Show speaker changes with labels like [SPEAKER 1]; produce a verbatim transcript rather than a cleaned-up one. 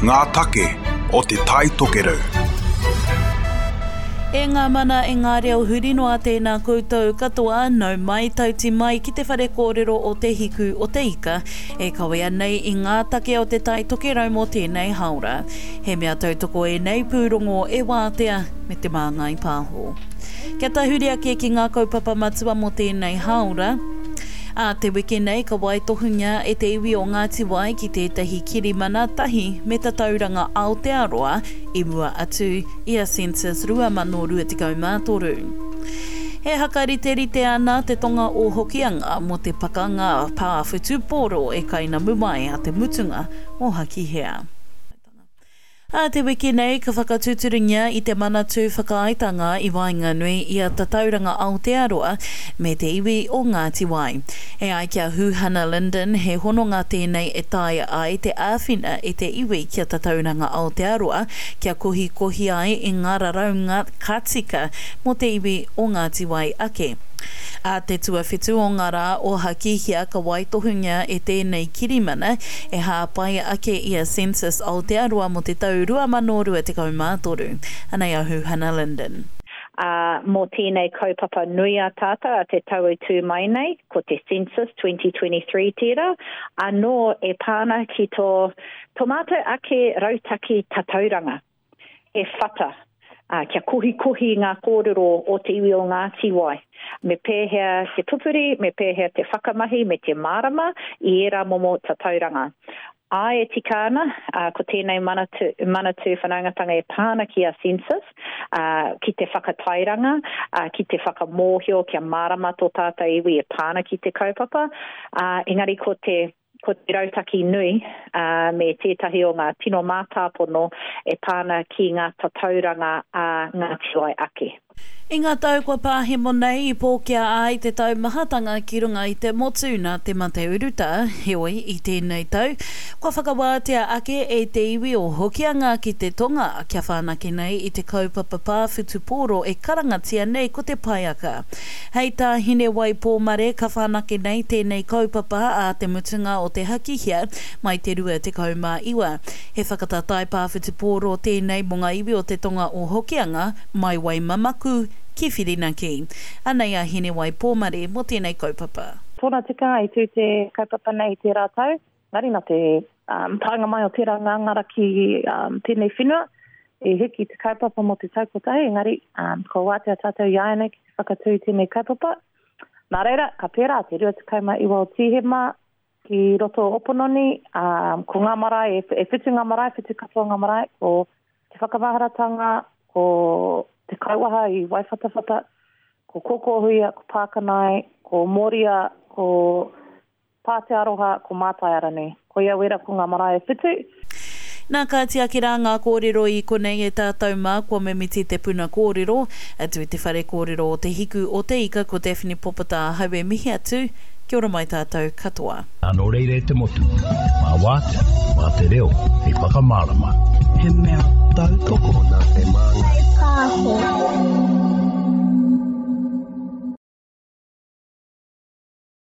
[SPEAKER 1] Ngā take o Te Tai Tokerau.
[SPEAKER 2] E ngā mana e ngā reo huri noa tēnā koutou katoa, nau mai tauti mai ki te whare kōrero o Te Hiku o Te Ika, e kawea nei i ngā take o Te Tai Tokerau mō tēnei hāora. He mea tautoko ēnei pūrongo e Wātea me Te Māngai Pāho. Kia tahuri ake ki ngā kaupapa matua mō tēnei hāora, Ā te wiki nei ka waitohungia e te iwi o Ngāti Wai ki tētahi kirimana tahi me Tatauranga Aotearoa i mua atu i a Census rua mano rua tekau mā toru. E hakariterite ana te tonga o Hokianga mō te pakanga pā whutupōro e kainamu mai a te mutunga o Hakihea. Ā te wiki nei ka whakatūturungia i te Manatū Whakaaetanga i waenganui i a Tatauranga Aotearoa me te iwi o Ngāti Wai. E ai ki a Huhana Lyndon, he hononga tēnei e taea ai te āwhina i te iwi ki a Tatauranga Aotearoa kia kohikohi ai i ngā raraunga ka tika mō te iwi o Ngāti Wai ake. Ā te tuawhitu o ngā rā o Hakihea ka waitohungia e tēnei kirimana e hāpai ake i a Census Aotearoa mō te tau rua mano rua tekau mā toru. Anei a Huhana Lyndon.
[SPEAKER 3] Ā, mō tēnei kaupapa nui a tātou a te tau e tū mai nei, ko te Census twenty twenty-three tērā, anō e pā ana ki tō, tō mātou ake rautaki tatauranga, he whata, ā, kia kohikohi ngā kōrero o te iwi o Ngāti Wai. Me pēhea te pupuri, me pēhea te whakamahi, me te mārama i ērā momo tatauranga. Āe e tika ana, ā, ko tēnei manatū, manatū whanaungatanga e pā ana ki a Census, ā, ki te whakatairanga, ā, ki te whakamōhio kia mārama tō tātou iwi e pā ana ki te kaupapa, ā, engari ko te, ko te rautaki nui, ā, me tētahi o ngā tino mātāpono e pā ana ki ngā tatauranga a Ngāti Wai ake.
[SPEAKER 2] I ngā tau kua pāhemo nei i pōkea ai te taumahatanga ki runga i te motu nā te mate urutā, heoi i tēnei tau, kua whakawātea ake e te iwi o Hokianga ki te tonga kia whanake nei i te kaupapa pā whutupōro e karangatia nei ko te Paiaka. Hei tā Hinewai Pōmare ka whanake nei tēnei kaupapa a te mutunga o te Hakihea mai te rua tekau mā iwa. He whakataetae pā whutupōro tēnei mō ngā iwi o te tonga o Hokianga mai Waimamaku ki Whirinaki. Anei a Hinewai Pōmare mō tēnei kaupapa.
[SPEAKER 4] Tōna tikanga i tū te kaupapa nei i tērā tau, engari nā te um, taenga mai o tērā ngāngara ki um, tēnei whenua, e hiki te kaupapa mō te tau kotahi, engari um, ko wātea tātou i āianei ki te whakatū i tēnei kaupapa. Nā reira, ka pērā te rua tekau mā iwa o Tīhema ki roto o Opononi, um, ko ngā marae, e, e whitu ngā marae, whitu katoa ngā marae, ko te whakamaharatanga, ko te Kauaha i Waiwhatawhata, ko Kōkōhuia, ko Pākanai, ko Moria, ko Pātearoha, ko Mātaiaranui. Ko ia wera ko ngā marae e whitu.
[SPEAKER 2] Nā ka tiaki rā ngā kōrero i konei e tātou mā kua mimiti te puna kōrero. Atu i te whare kōrero o Te Hiku o Te Ika ko Daphne Popata ahau e mihi atu. Kia ora mai tātou katoa.
[SPEAKER 5] Nō reira e te motu, mā wātea, mā te reo, hei whakamārama.
[SPEAKER 6] He mea tautoko
[SPEAKER 7] nā Te Māngai Pāho.